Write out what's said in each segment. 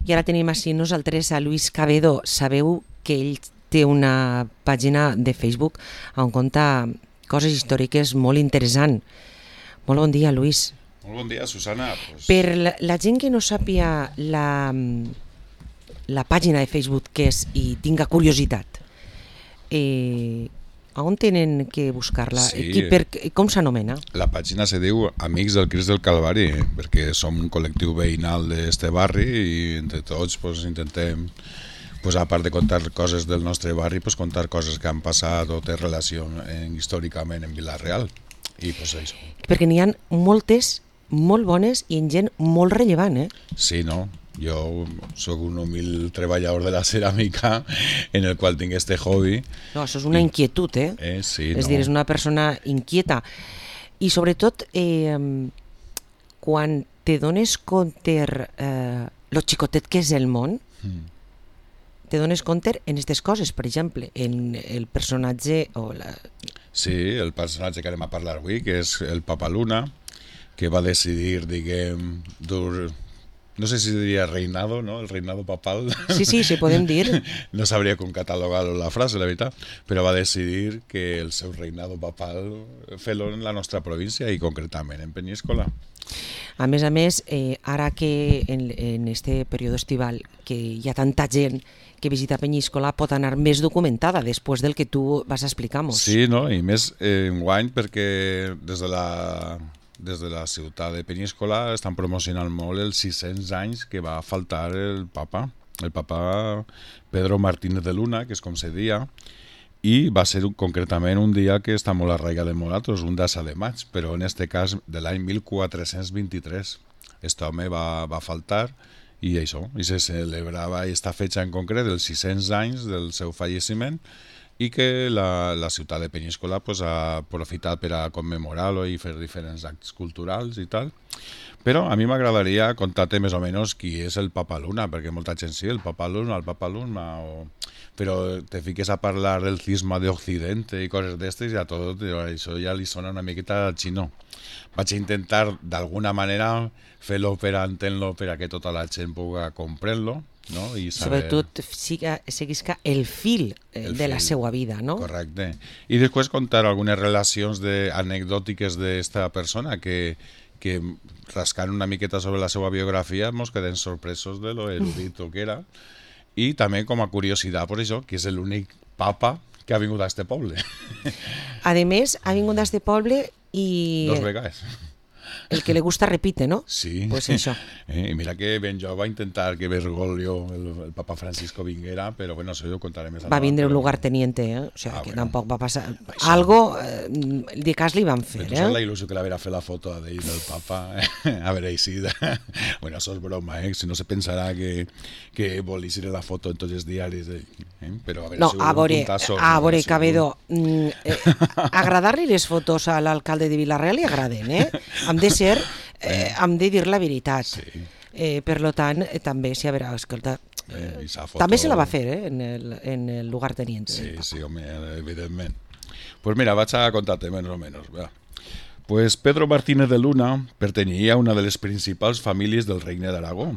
I ara tenim així nosaltres a Luis Cabedo. Sabeu que ell té una pàgina de Facebook on conta coses històriques molt interessants. Molt bon dia, Luis. Molt bon dia, Susana. Per la gent que no sàpia la pàgina de Facebook que és i tinga curiositat, on tenen que buscar-la? Sí. Com s'anomena? La pàgina se diu Amics del Crist del Calvari, perquè som un col·lectiu veïnal d'este barri i entre tots intentem, a part de contar coses del nostre barri, contar coses que han passat o té relació històricament en Vila-real. I això. Perquè n'hi ha moltes, molt bones i en gent molt rellevant, Sí, no? Jo sóc un humil treballador de la ceràmica en el qual tinc este hobby. No, això és una inquietud, Sí, és dir, és una persona inquieta. I sobretot, quan te dones compte lo xicotet que és el món, te dones compte en aquestes coses, per exemple, en el personatge o la... Sí, el personatge que anem a parlar avui, que és el Papa Luna, que va decidir, diguem, no sé si diria reinado, ¿no? El reinado papal. Sí, podem dir. No sabria com catalogar la frase, la veritat, però va decidir que el seu reinado papal fer-lo en la nostra província i concretament en Penyíscola. A més, ara que en este període estival que hi ha tanta gent que visita Penyíscola pot anar més documentada després del que tu vas explicar-nos. Sí, no? I més enguany perquè des de la ciutat de Penyíscola estan promocionant molt els 600 anys que va faltar el papa Pedro Martínez de Luna, que és com se dia, i va ser concretament un dia que està molt arraigat en nosaltres, un 10 de maig, però en este cas de l'any 1423. Este home va faltar i això, i se celebrava aquesta fetge en concret dels 600 anys del seu falleciment i que la ciutat de Penyíscola ha aprofitat per a commemorar-lo i fer diferents actes culturals i tal. Però a mi m'agradaria contar-te més o menys qui és el Papa Luna, perquè molta gent sí, el Papa Luna, però te fiques a parlar del cisma de Occidente i coses d'estes i a tot això ja li sona una miqueta xino. Vaig intentar d'alguna manera fer-lo per a entendre-lo per a que tota la gent pugui comprendre-lo, no? I saber... Sobretot seguisca el fil de la seva vida, no? Correcte. I després contar algunes relacions anecdòtiques d'esta persona que rascant una miqueta sobre la seva biografia ens quedem sorpresos de lo erudito que era i també com a curiositat per això que és l'únic papa que ha vingut a este poble. A més, ha vingut a este poble i... 2 vegades. El que le gusta repite, ¿no? Sí. Pues eso. I mira que ben jo va intentar que Bergoglio, el papa Francisco, vinguera, però bueno, això ho contaré més endavant. Va vindre un lugarteniente, o sea, que tampoc va passar... Això. Algo de cas li van fer, Tu saps la il·lusió que la vera fer la foto d'ell del papa? A veure, sí. Bueno, això és broma, si no se pensarà que volis ir a la foto en tots els diaris. Però a veure, no, a veure, Cabedo, agradar-li les fotos a l'alcalde de Vila-real li agraden, hem de dir la veritat. Sí. Per tant, també, si a veure, escolta, també se la va fer en el lugarteniente. Sí, home, evidentment. Pues mira, vaig a contar-te més o menys. Pues Pedro Martínez de Luna pertanyia a una de les principals famílies del Regne d'Aragó.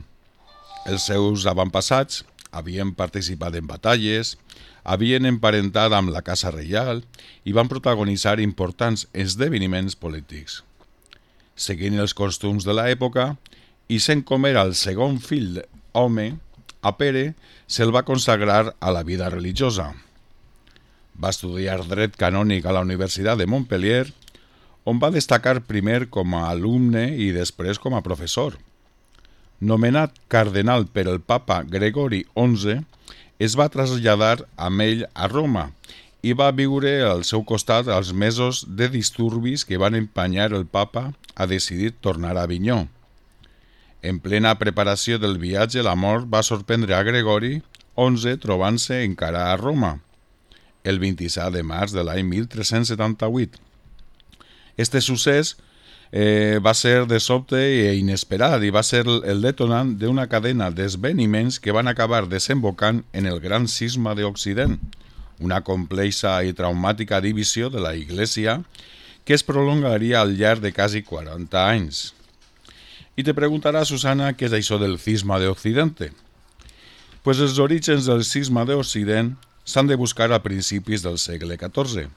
Els seus avantpassats havien participat en batalles, havien emparentat amb la Casa Reial i van protagonitzar importants esdeveniments polítics. Seguint els costums de l'època, i sent com era el segon fill home, a Pere se'l va consagrar a la vida religiosa. Va estudiar dret canònic a la Universitat de Montpellier, on va destacar primer com a alumne i després com a professor. Nomenat cardenal per el papa Gregori XI, es va traslladar amb ell a Roma i va viure al seu costat els mesos de disturbis que van empanyar el papa a decidir tornar a Avinyó. En plena preparació del viatge, la mort va sorprendre a Gregori XI trobant-se encara a Roma, el 27 de març de l'any 1378. Este succés va ser de sobte i inesperat i va ser el detonant d'una cadena d'esdeveniments que van acabar desembocant en el gran cisma d'Occident, una complexa i traumàtica divisió de la Iglesia que es prolongaria al llarg de quasi 40 anys. I te preguntarà, Susana, què és això del cisma d'Occidente? Pues els orígens del cisma d'Occident s'han de buscar a principis del segle XIV,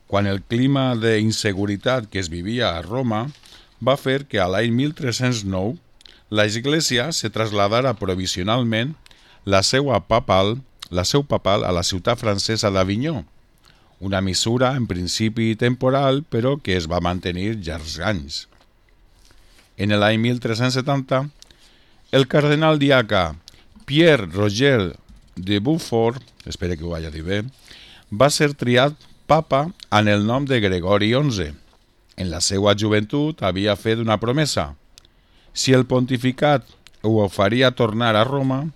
quan el clima d'inseguretat que es vivia a Roma va fer que a l'any 1309 la Església se traslladara provisionalment la seu papal a la ciutat francesa d'Avinyó, una mesura en principi temporal però que es va mantenir llargs anys. En l'any 1370, el cardenal diaca Pierre Roger de Beaufort, espero que ho hagi dit bé, va ser triat papa en el nom de Gregori XI. En la seva joventut havia fet una promesa. Si el pontificat ho faria tornar a Roma,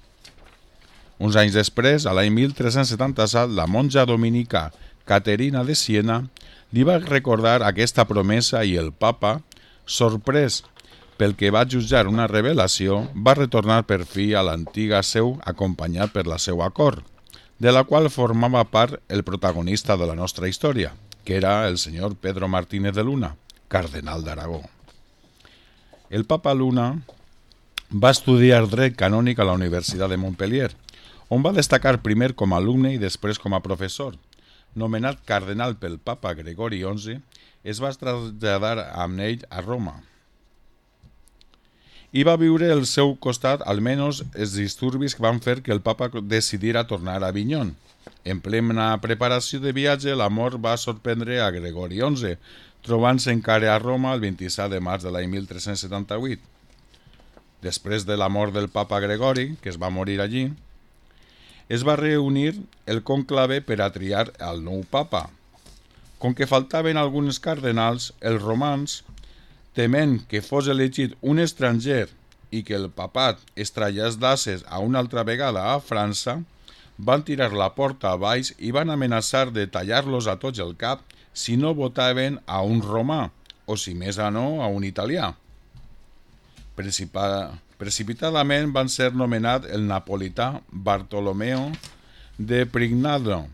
uns anys després, a l'any 1377, la monja dominica Caterina de Siena li va recordar aquesta promesa i el papa, sorprès pel que va jutjar una revelació, va retornar per fi a l'antiga seu acompanyat per la seva cort, de la qual formava part el protagonista de la nostra història, que era el senyor Pedro Martínez de Luna, cardenal d'Aragó. El papa Luna va estudiar dret canònic a la Universitat de Montpellier, on va destacar primer com a alumne i després com a professor. Nomenat cardenal pel papa Gregori XI, es va traslladar amb ell a Roma. I va viure al seu costat almenys els disturbis que van fer que el papa decidira tornar a Avinyó. En plena preparació de viatge, la mort va sorprendre a Gregori XI, trobant-se encara a Roma el 27 de març de l'any 1378. Després de la mort del papa Gregori, que es va morir allí, es va reunir el conclave per a triar el nou papa. Com que faltaven alguns cardenals, els romans, tement que fos elegit un estranger i que el papat es traslladés a una altra vegada a França, van tirar la porta a baix i van amenaçar de tallar-los a tots el cap si no votaven a un romà, o si més a no, a un italià. Precipitadament van ser nomenat el napolità Bartolomeo de Prignano,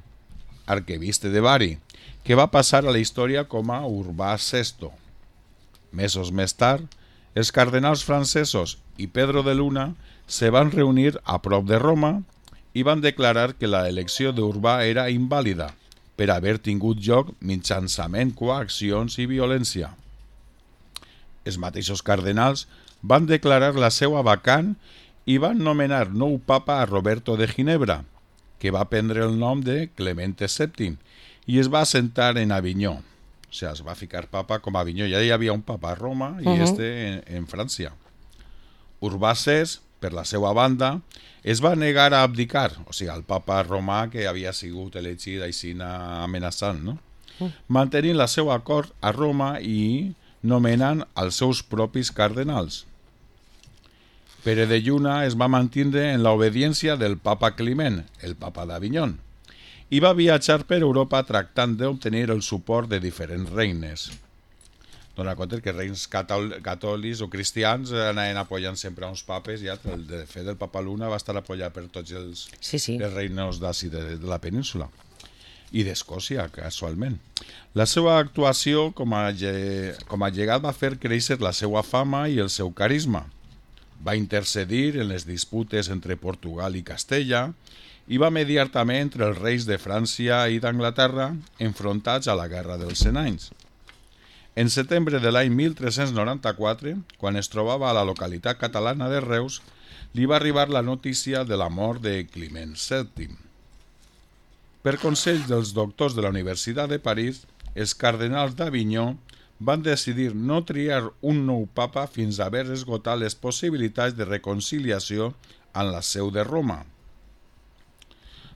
arquebisbe de Bari, que va passar a la història com a Urbà VI. Mesos més tard, els cardenals francesos i Pedro de Luna se van reunir a prop de Roma i van declarar que la elecció d'Urbà era invàlida per haver tingut lloc mitjançament coaccions i violència. Els mateixos cardenals van declarar la seva vacant i van nomenar nou papa a Roberto de Ginebra, que va prendre el nom de Clemente VII i es va assentar en Avinyó. O sigui, es va ficar papa com a Avinyó. Ja hi havia un papa a Roma i en França. Urbà VI, per la seva banda, es va negar a abdicar, o sigui, el papa romà que havia sigut elegit així amenaçant, no? Mantenint la seva cort a Roma i nomenant els seus propis cardenals. Pere de Lluna es va mantenir en l'obediència del papa Climent, el papa d'Avinyó, i va viatjar per Europa tractant d'obtenir el suport de diferents regnes. Dóna compte que reis catòlics o cristians anaven apoyant sempre a uns papes i de fet el papa Luna va estar apoyat per tots els regnes d'ací de la península i d'Escòcia, casualment. La seva actuació com a llegat va fer créixer la seva fama i el seu carisma. Va intercedir en les disputes entre Portugal i Castella i va mediar també entre els reis de França i d'Anglaterra enfrontats a la Guerra dels 100 anys. En setembre de l'any 1394, quan es trobava a la localitat catalana de Reus, li va arribar la notícia de la mort de Climent VII. Per consell dels doctors de la Universitat de París, els cardenals d'Avinyó van decidir no triar un nou papa fins a haver esgotat les possibilitats de reconciliació en la seu de Roma.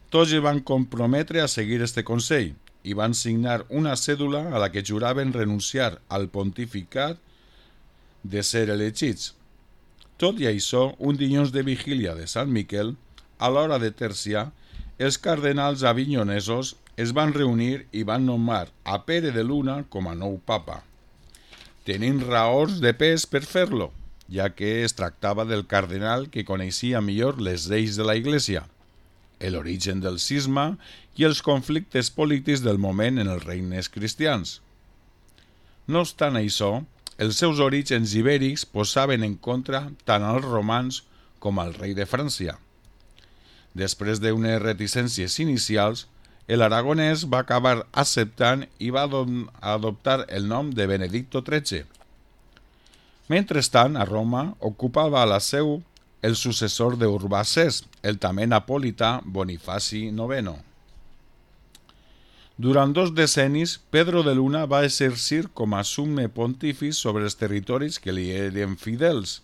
Tots es van comprometre a seguir este consell i van signar una cèdula a la que juraven renunciar al pontificat de ser elegits. Tot i això, un dilluns de vigília de Sant Miquel, a l'hora de terciar, els cardenals avinyonesos es van reunir i van nomar a Pere de Luna com a nou papa, tenint raons de pes per fer-lo, ja que es tractava del cardenal que coneixia millor les lleis de la Iglesia, l'origen del cisma i els conflictes polítics del moment en els regnes cristians. No obstant això, els seus orígens ibèrics posaven en contra tant als romans com al rei de França. Després d'unes reticències inicials, l'aragonès va acabar acceptant i va adoptar el nom de Benedicto XIII. Mentrestant, a Roma ocupava la seu el successor d'Urbà VI, el també napolità Bonifaci IX. Durant 2 decennis, Pedro de Luna va exercir com a summe pontífice sobre els territoris que li eren fidels,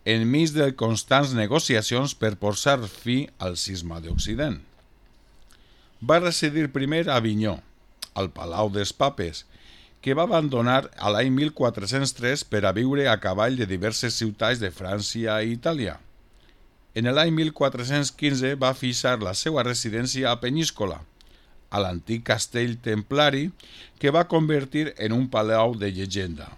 enmig de constants negociacions per posar fi al cisma d'Occident. Va residir primer a Avinyó, al Palau dels Papes, que va abandonar a l'any 1403 per a viure a cavall de diverses ciutats de França i Itàlia. En l'any 1415 va fixar la seva residència a Penyíscola, a l'antic castell templari que va convertir en un palau de llegenda.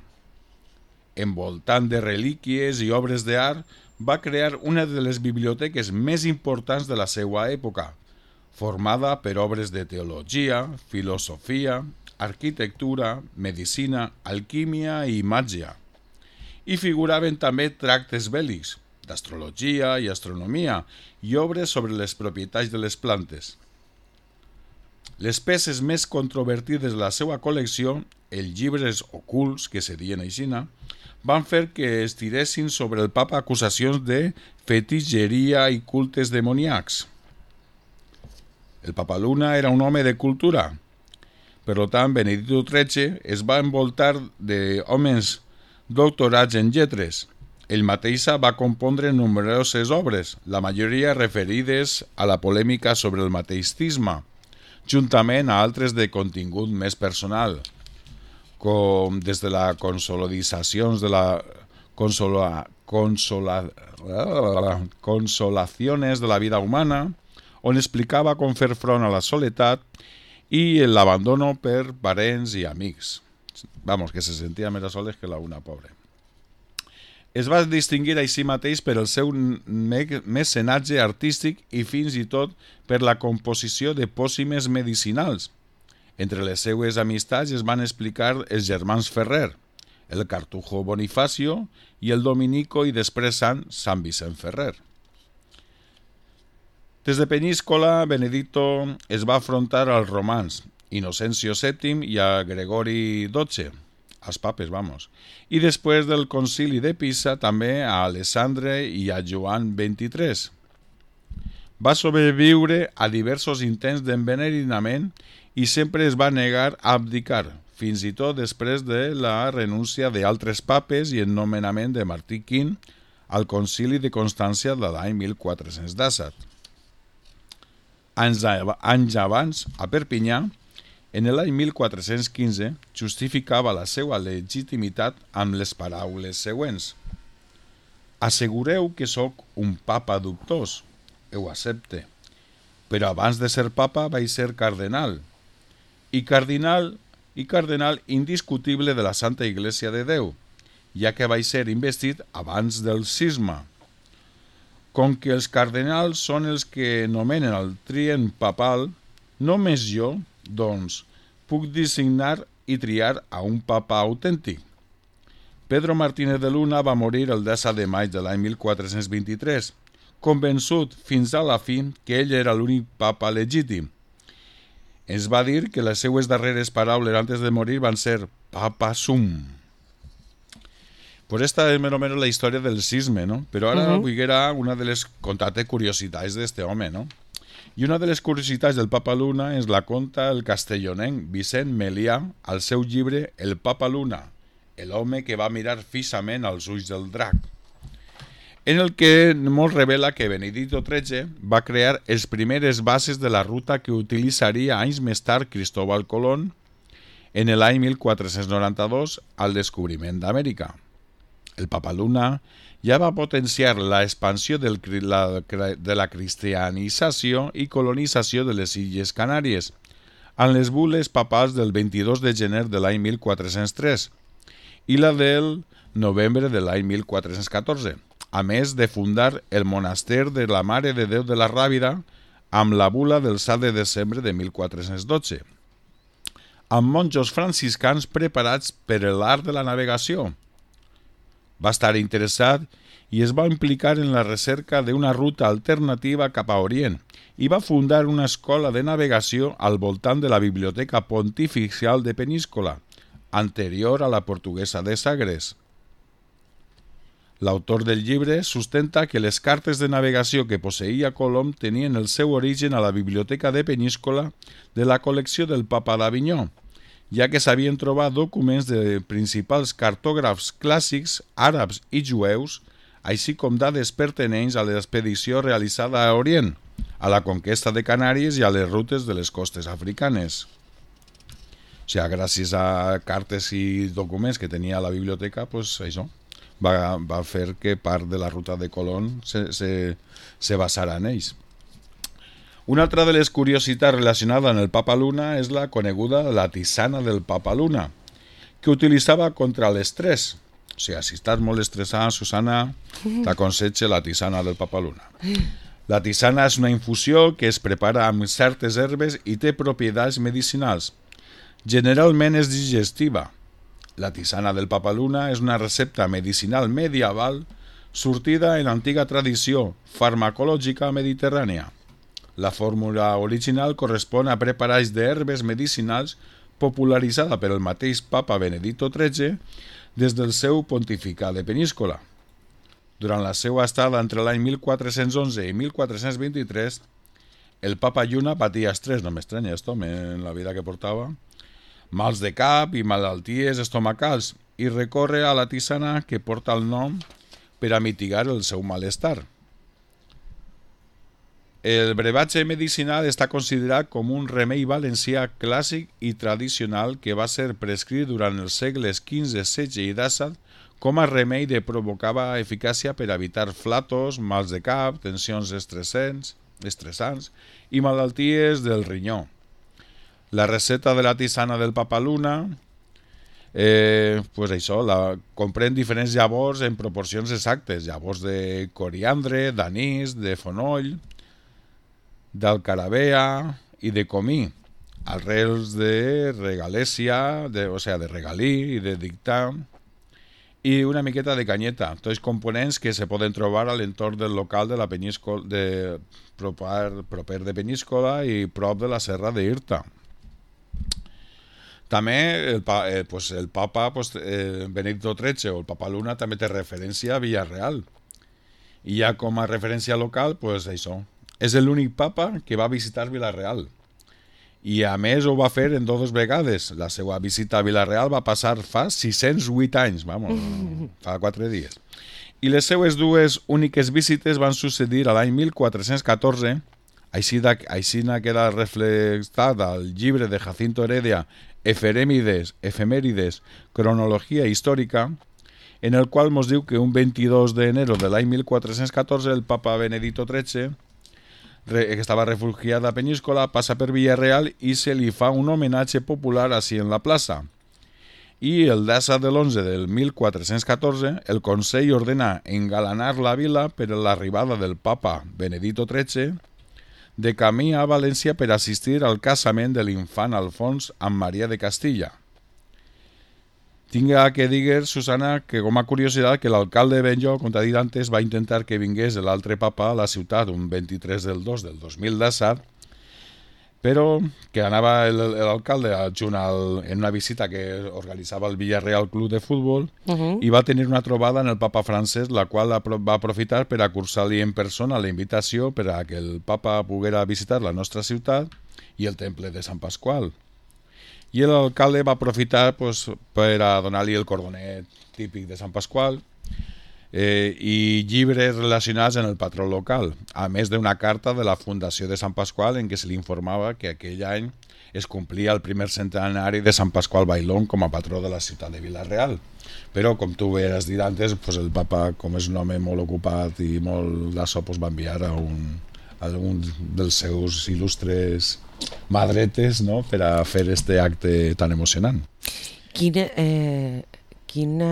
Envoltant de relíquies i obres d'art, va crear una de les biblioteques més importants de la seva època, formada per obres de teologia, filosofia, arquitectura, medicina, alquímia i màgia. Hi figuraven també tractes bèl·lics, d'astrologia i astronomia i obres sobre les propietats de les plantes. Les peces més controvertides de la seva col·lecció, els llibres ocults, que serien aixina, van fer que es tiressin sobre el papa acusacions de fetitxeria i cultes demoníacs. El papa Luna era un home de cultura. Per tant, Benedicto XIII es va envoltar d'homes doctorats en lletres. Ell mateix va compondre nombroses obres, la majoria referides a la polèmica sobre el mateix cisma, juntament a altres de contingut més personal, com des de la consolacions de la consolaciones de la vida humana, on explicava com fer front a la soledat i l'abandono per parents i amics. Vamos, que se sentia més a soles que la una pobra. Es va distingir així mateix per el seu mecenatge artístic i fins i tot per la composició de pòcimes medicinals. Entre les seues amistats es van explicar els germans Ferrer, el cartujo Bonifacio i el dominico i després Sant Vicent Ferrer. Des de Penyíscola, Benedicto es va afrontar als romans, Inocencio VII i a Gregori XII, als papes, i després del concili de Pisa també a Alessandre i a Joan XXIII. Va sobreviure a diversos intents d'envenenament i sempre es va negar a abdicar, fins i tot després de la renúncia d'altres papes i el nomenament de Martí V al concili de Constància de l'any 1417. Anys abans, a Perpinyà, en l'any 1415, justificava la seva legitimitat amb les paraules següents. Assegureu que sóc un papa dubtós, ho accepte, però abans de ser papa vaig ser cardenal, i cardenal indiscutible de la Santa Iglesia de Déu, ja que vaig ser investit abans del cisma. Com que els cardenals són els que nomenen el trient papal, només jo, doncs, puc designar i triar a un papa autèntic. Pedro Martínez de Luna va morir el 10 de maig de l'any 1423, convençut fins a la fi que ell era l'únic papa legítim. Ens va dir que les seues darreres paraules antes de morir van ser «Papa sum». Pues esta es más o menos la historia del cisme, ¿no? Pero ahora era una de las contate curiosidades de este hombre, ¿no? Y una de les curiositats del Papa Luna ens la conta el castellonenc Vicent Melià al seu llibre El Papa Luna, l'home que va mirar fixament als ulls del drac, en el que ens revela que Benedicto XIII va crear les primeres bases de la ruta que utilitzaria anys més tard Cristóbal Colón en l'any 1492 al descobriment d'Amèrica. El Papa Luna ja va potenciar la expansió de la cristianització i colonització de les Illes Canàries, amb les bules papals del 22 de gener de l'any 1403 i la del novembre de l'any 1414, a més de fundar el monaster de la Mare de Déu de la Ràbida amb la bula del 7 de desembre de 1412, amb monjos franciscans preparats per l'art de la navegació. Va estar interessat i es va implicar en la recerca d'una ruta alternativa cap a Orient i va fundar una escola de navegació al voltant de la Biblioteca Pontificial de Peníscola, anterior a la portuguesa de Sagres. L'autor del llibre sustenta que les cartes de navegació que posseïa Colom tenien el seu origen a la Biblioteca de Peníscola de la col·lecció del Papa d'Avinyó, ja que s'havien trobat documents de principals cartògrafs clàssics àrabs i jueus, així com dades pertinents a l'expedició realitzada a Orient, a la conquesta de Canàries i a les rutes de les costes africanes. O sigui, gràcies a cartes i documents que tenia la biblioteca, pues això va fer que part de la ruta de Colón se basara en ells. Una altra de les curiositats relacionades amb el Papa Luna és la coneguda la tisana del Papa Luna, que utilitzava contra l'estrès. O sigui, si estàs molt estressada, Susana, t'aconsejo la tisana del Papa Luna. La tisana és una infusió que es prepara amb certes herbes i té propietats medicinals. Generalment és digestiva. La tisana del Papa Luna és una recepta medicinal medieval sortida en l'antiga tradició farmacològica mediterrània. La fórmula original correspon a preparats d'herbes medicinals popularitzada per el mateix Papa Benedicto XIII des del seu pontificat de Peníscola. Durant la seva estada entre l'any 1411 i 1423, el Papa Lluna patia estrès, no m'estranya esto, en la vida que portava, mals de cap i malalties estomacals, i recorre a la tisana que porta el nom per a mitigar el seu malestar. El brebatge medicinal està considerat com un remei valencià clàssic i tradicional que va ser prescrit durant els segles XV, XVI i XVII com a remei de provocava eficàcia per evitar flatos, mals de cap, tensions estressants i malalties del rinyó. La recepta de la tisana del Papa Luna comprèn diferents llavors en proporcions exactes, llavors de coriandre, d'anís, de fonoll, d'alcarabea i de comí, arrels de regalèsia, de regalí i de dictà, i una miqueta de canyeta, tots components que se poden trobar a l'entorn del local de la Peníscola, proper de Peníscola i prop de la serra d'Irta. També el Papa Benedicto XIII o el Papa Luna també té referència a Villarreal. I ja com a referència local, és l'únic papa que va visitar Villarreal. I a més ho va fer en dues vegades. La seva visita a Villarreal va passar fa 608 anys, fa 4 dies. I les seues dues úniques visites van succeir a l'any 1414, així queda reflectat al llibre de Jacinto Heredia, Efemèrides, cronologia històrica, en el qual ens diu que un 22 d'enero de l'any 1414 el Papa Benedicto XIII, que estava refugiat a Peníscola, passa per Villarreal i se li fa un homenatge popular així en la plaça. I el 10 de l'11 del 1414 el Consell ordena engalanar la vila per l'arribada del Papa Benedicto XIII de camí a València per assistir al casament de l'infant Alfons amb Maria de Castilla. Tinga que dir, Susana, que com a curiositat que l'alcalde de Benlloc, com t'ha dit antes, va intentar que vingués l'altre papa a la ciutat un 23 del 2 del 2017, però que anava l'alcalde adjunt en una visita que organitzava el Villarreal Club de Futbol i va tenir una trobada en el papa francès, la qual va aprofitar per cursar-li en persona la invitació per a que el papa poguera visitar la nostra ciutat i el temple de Sant Pasqual. I l'alcalde va aprofitar per a donar-li el cordonet típic de Sant Pasqual i llibres relacionats amb el patró local, a més d'una carta de la Fundació de Sant Pasqual en què se li informava que aquell any es complia el primer centenari de Sant Pasqual Bailón com a patró de la ciutat de Vila-real. Però, com tu has dit antes, el papa, com és un home molt ocupat i molt d'això, va enviar a un dels seus il·lustres madretes, no?, per a fer este acte tan emocionant. Quin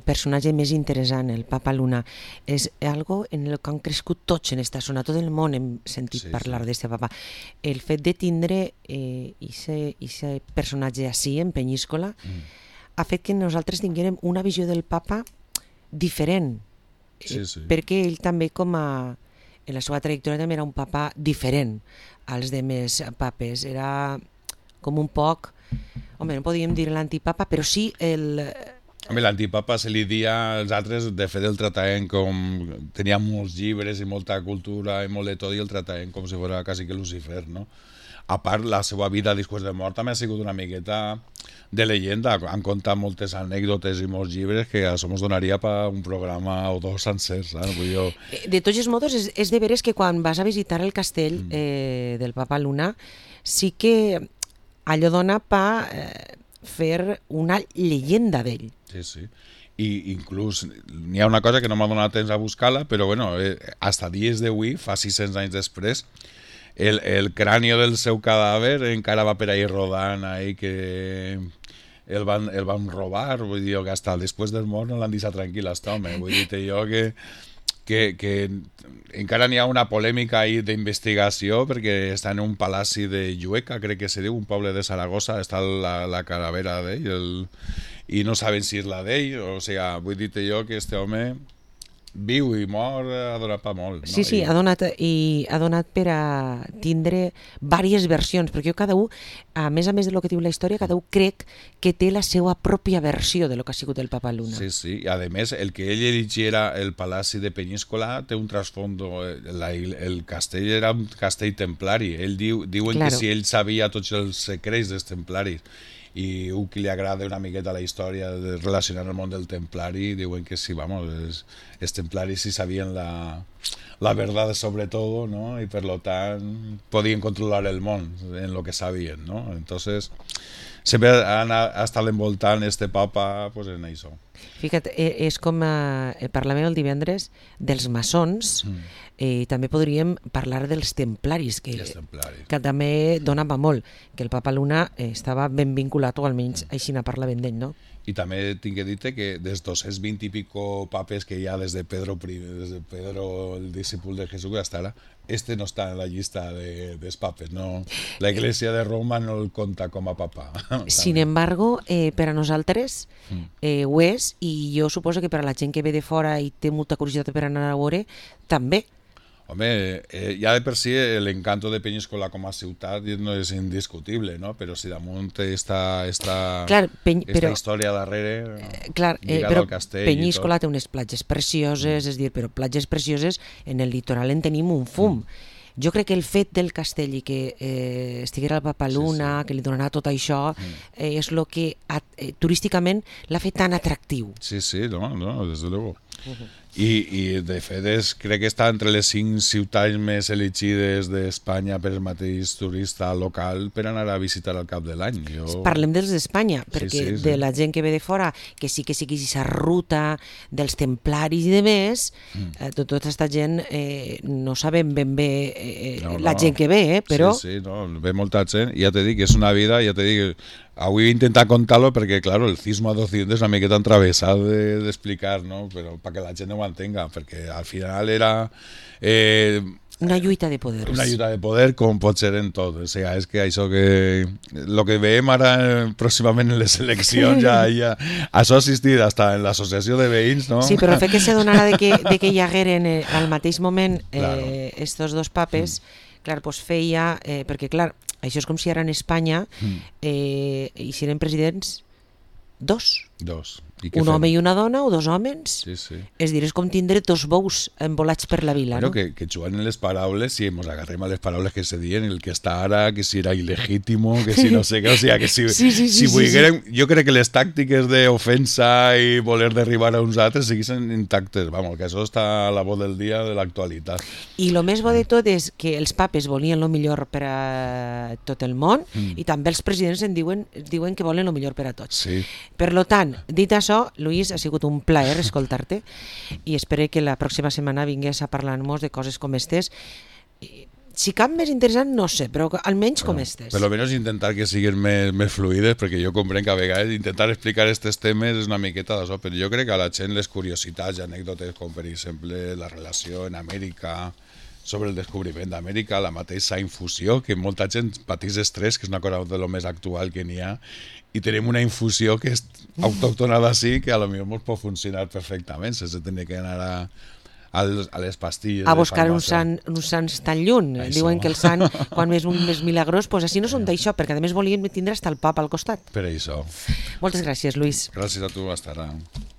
personatge més interessant, el Papa Luna. És algo en el que han crescut tots en esta zona, tot el món hem sentit parlar d'aquest papa. El fet de tindre aquest personatge així, en Peníscola, ha fet que nosaltres tinguérem una visió del papa diferent perquè ell també en la seva trajectòria també era un papa diferent als demés papes, era com un poc, home, no podíem dir l'antipapa, però sí Home, l'antipapa se li dia als altres, de fet el trataven com... Tenia molts llibres i molta cultura i molt de tot i el trataven com si fos quasi que Lucifer, no? A part, la seva vida després de mort també ha sigut una miqueta de leyenda. Han contat moltes anècdotes i molts llibres que això ens donaria per un programa o dos sencers. De tots els modos, és de veres que quan vas a visitar el castell del Papa Luna, sí que allò dona per fer una llegenda d'ell. Sí. I inclús n'hi ha una cosa que no m'ha donat temps a buscar-la, però bueno, hasta dies d'avui, fa 600 anys després, el cráneo del seu cadàver encara va per ahí rodant ahí que el van robar, vull dir que hasta després del mort no l'han deixat tranquil a aquest home, vull dir jo que encara n'hi ha una polèmica ahí d'investigació perquè està en un palaci de Llueca, crec que se diu, un poble de Saragossa, està la calavera d'ell i no saben si és la d'ell, o sigui, vull dir jo que este home viu i mor ha donat per molt. No? Sí, ha donat per a tindre diverses versions, perquè cada un, a més de lo que diu la història, cada un crec que té la seva pròpia versió de lo que ha sigut el Papa Luna. Sí, i a més, el que ell erigiera el Palaci de Peñíscola té un trasfondo, el castell era un castell templari, diuen que si ell sabia tots els secrets dels templaris, i un que li agrada una miqueta la història de relacionar el món del templari, diuen que sí, vamos, els templaris sí sabien la verdad sobre todo, ¿no? Y por lo tant podien controlar el món en lo que sabien, ¿no? Entonces sempre ha estat envoltant este papa pues, en això. Fíjate, és com parlàvem el divendres dels maçons, també podríem parlar dels templaris, que també donava molt, que el Papa Luna estava ben vinculat, o almenys així ne parlàvem d'ell, no? I també tinc que dir-te que dels 220 i pico papes que hi ha des de Pedro, el discípul de Jesús, hasta ara, este no està en la llista dels papes, no? La Iglesia de Roma no el compta com a papa. Sin embargo, per a nosaltres ho és, i jo suposo que per a la gent que ve de fora i té molta curiositat per anar a veure, també. Home, ja de per si l'encanto de Peñíscola com a ciutat no és indiscutible, no? Però si damunt esta història darrere lligada al castell. Peñíscola té unes platges precioses, és dir, però platges precioses en el litoral en tenim un fum. Jo crec que el fet del castell i que estiguera el Papa Luna, que li donarà tot això, és el que turísticament l'ha fet tan atractiu. Sí, no, des de luego. I de fet crec que està entre les 5 ciutats més elegides d'Espanya per el mateix turista local per anar a visitar al cap de l'any. Parlem dels d'Espanya, perquè de la gent que ve de fora, que sí que sigui aquesta ruta dels templaris i de més, tota aquesta gent no sabem ben bé la gent que ve, però... Sí, ve molta gent, i ja t'he dit que és una vida, ja t'he dit que avui he intentat contar-lo perquè, claro, el cisma d'Occidente és una miqueta entravessat d'explicar, ¿no? Però perquè la gent no ho entenga, perquè al final era... una lluita de poders. Una lluita de poder, com pot ser en tot. O sigui, és que això que... El que veiem ara pròximament en les eleccions, ja això ha assistit hasta en l'associació de veïns, no? Sí, però el fet que se donara de que hi hagueren al mateix moment estos dos papes, clar, pues feia... perquè, clar, això és com si ara en Espanya hi serien presidents dos. Un home i una dona o dos homes. Sí. És dir, és com tindre dos bous envolats per la vila. Bueno, no? que juguen en les paraules, si ens agarrem a les paraules que se diuen, el que està ara, que si era il·legítimo, que si no sé què, o sigui, que si volguérem... Jo crec que les tàctiques d'ofensa i voler derribar a uns altres seguissin intactes, vamos, que això està a la voz del dia de l'actualitat. I el més bo de tot és que els papes volien el millor per a tot el món i també els presidents diuen que volen el millor per a tots. Sí. Per lo tant, dit això, Luis, ha sigut un plaer escoltar-te i espero que la pròxima setmana vingués a parlar-nos de coses com estes. Si cap més interessant, no sé, però almenys com estes. Per almenys intentar que siguin més fluides, perquè jo comprenc que a vegades intentar explicar aquests temes és una miqueta d'això, però jo crec que a la gent les curiositats i anècdotes, com per exemple la relació en Amèrica sobre el descobriment d'Amèrica, la mateixa infusió, que molta gent patís estrès, que és una cosa de lo més actual que n'hi ha, i tenim una infusió que és autòctona d'ací, que a lo millor ens pot funcionar perfectament, sense tenir que anar a les pastilles. A buscar uns sants tan lluny. Diuen que el sant, quan és un més milagrós, doncs així no són d'això, perquè a més volíem tindre hasta el papa al costat. Per això. Moltes gràcies, Lluís. Gràcies a tu, hasta ara.